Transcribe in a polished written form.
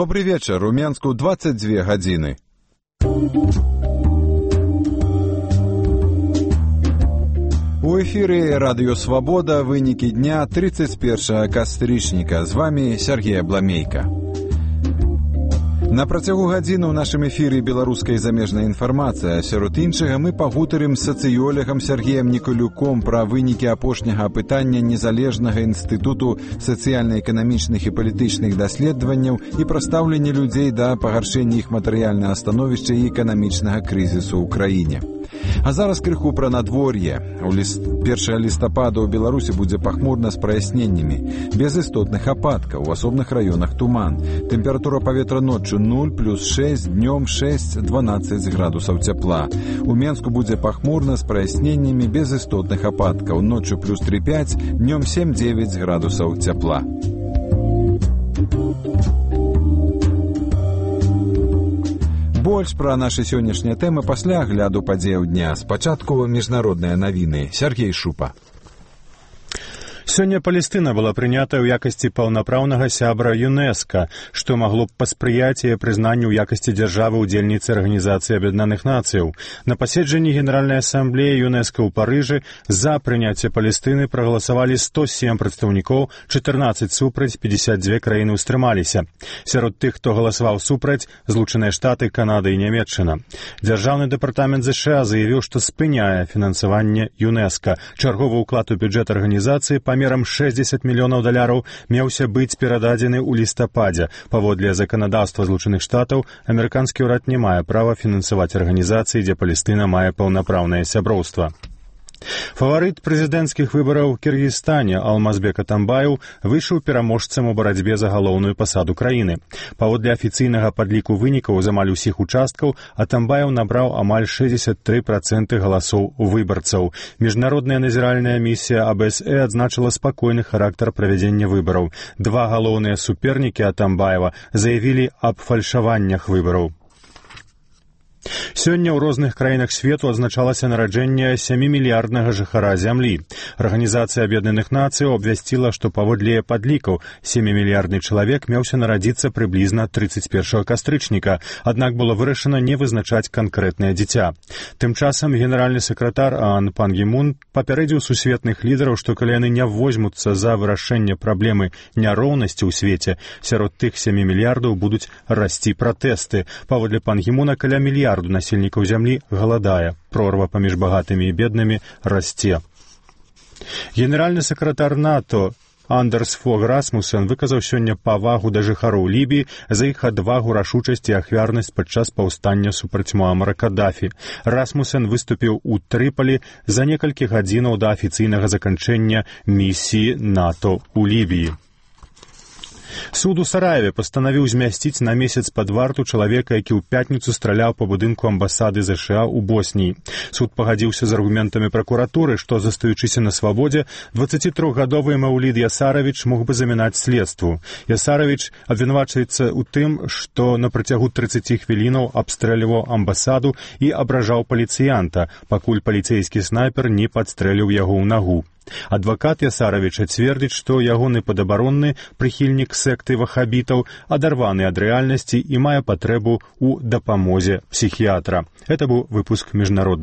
Добрый вечер. У Менску 22 гадзіны. У эфире Радио Свобода. Вынікі дня 31 кастрычніка. З вами Сергей Абламейка. На працягу гадзіны ў нашым эфіры беларуская замежная інфармацыя. Сярод іншага мы пагутарым з сацыёлагам Сергеем Николюком пра вынікі апошняга апытання Незалежнага інстытуту сацыяльна-эканамічных і палітычных даследаванняў і пра стаўленне людзей да пагаршэння іх матэрыяльнага становішча і эканамічнага крызісу ў краіне. А зараз крыху пра надвор'е. 1 лістапада ў Беларусі будзе пахмурна з праясненнямі, без істотных ападкаў, у асобных раёнах туман. Тэмпература паветра ноччу 0 плюс 6, днём 6-12 градусаў цяпла. У Менску будзе пахмурна з праясненнямі, без істотных ападкаў, ноччу плюс 3-5, днём 7-9 градусаў цяпла. Больш пра нашы сённяшнія тэмы пасля агляду падзеяў дня. Спачатку міжнародныя навіны. Сергей Шупа. Сёння Палестына была прынята ў якасці паўнапраўнага сябра ЮНЕСКО, што магло б паспрыяць яе прызнанню ў якасці дзяржавы-удзельніцы Арганізацыі Аб'яднаных Нацыяў. На паседжанні Генеральнай асамблеі ЮНЕСКО ў Парыжы за прыняцце Палестыны прагаласавалі 107 прадстаўнікоў, 14 супраць, 52 краіны ўстрымаліся. Сярод тых, хто галасаваў супраць, Злучаныя Штаты, Канада і Нямецчына. Дзяржаўны дэпартамент ЗША заявіў, што спыняе фінансаванне ЮНЕСКО. Чарговы ўклад у бюджэт арганізацыі памерам $60 мільёнаў меўся быць перададзены ў лістападзе. Паводле заканадаўства Злучаных Штатаў, амерыканскі ўрад не мае права фінансаваць арганізацыі, дзе Палестына мае паўнапраўнае сяброўства. Фаварыт прэзідэнцкіх выбараў у Кіргізстане Алмазбек Атамбаев выйшаў пераможцам у барацьбе за галоўную пасаду краіны. Паводле афіцыйнага падліку вынікаў з амаль усіх участкаў Атамбаев набраў амаль 63% галасоў выбарцаў. Міжнародная назіральная місія АБСЭ адзначыла спакойны характар правядзення выбараў. Два галоўныя супернікі Атамбаева заявілі аб фальшаваннях выбараў. Сёння ў розных краінах свету адзначалася нараджэнне 7-мільярднага жыхара зямлі. Арганізацыя Аб'яднаных Нацыяў абвясціла, што паводле падлікаў 7-мільярдны чалавек меўся нарадзіцца прыблізна 31 кастрычніка, аднак было вырашана не вызначаць канкрэтнае дзіця. Тым часам генеральны сакратар АОН Пан Гі Мун папярэдзіў сусветных лідараў, што калі яны не возьмуцца за вырашэнне праблемы няроўнасці ў свеце, сярод тых 7 мільярдаў будуць расці пратэсты. Паводле Пан Гі Муна каля мільярду насельнікаў зямлі галадае. Прорва паміж багатымі і беднымі расце. Генеральны сакратар НАТО Андерс Фог Расмусен выказаў сёння павагу да жыхароў Лібіі за іх адвагу, рашучасць і ахвярнасць падчас паўстання супраць Муамара Каддафі. Расмусен выступіў у Трыполі за некалькі гадзінаў да афіцыйнага заканчэння місіі НАТО ў Лібіі. Суд у Сараеве пастанавіў змясціць на месяц пад варту чалавека, які ў пятніцу страляў па будынку амбасады ЗША ў Босніі. Суд пагадзіўся з аргументамі пракуратуры, што, застаючыся на свабодзе, 23-гадовы Маўлід Ясаравіч мог бы замінаць следству. Ясаравіч абвінавачваецца ў тым, што на працягу 30 хвілінаў абстрэльваў амбасаду і абражаў паліцыянта, пакуль паліцэйскі снайпер не падстрэліў яго ў нагу. Адвакат Ясаравіча цвердзіць, што ягоны падабаронны, прыхільнік секты вахабітаў, адарваны ад рэальнасці і мае патрэбу ў дапамозе псіхіятра. Это быў выпуск міжнародных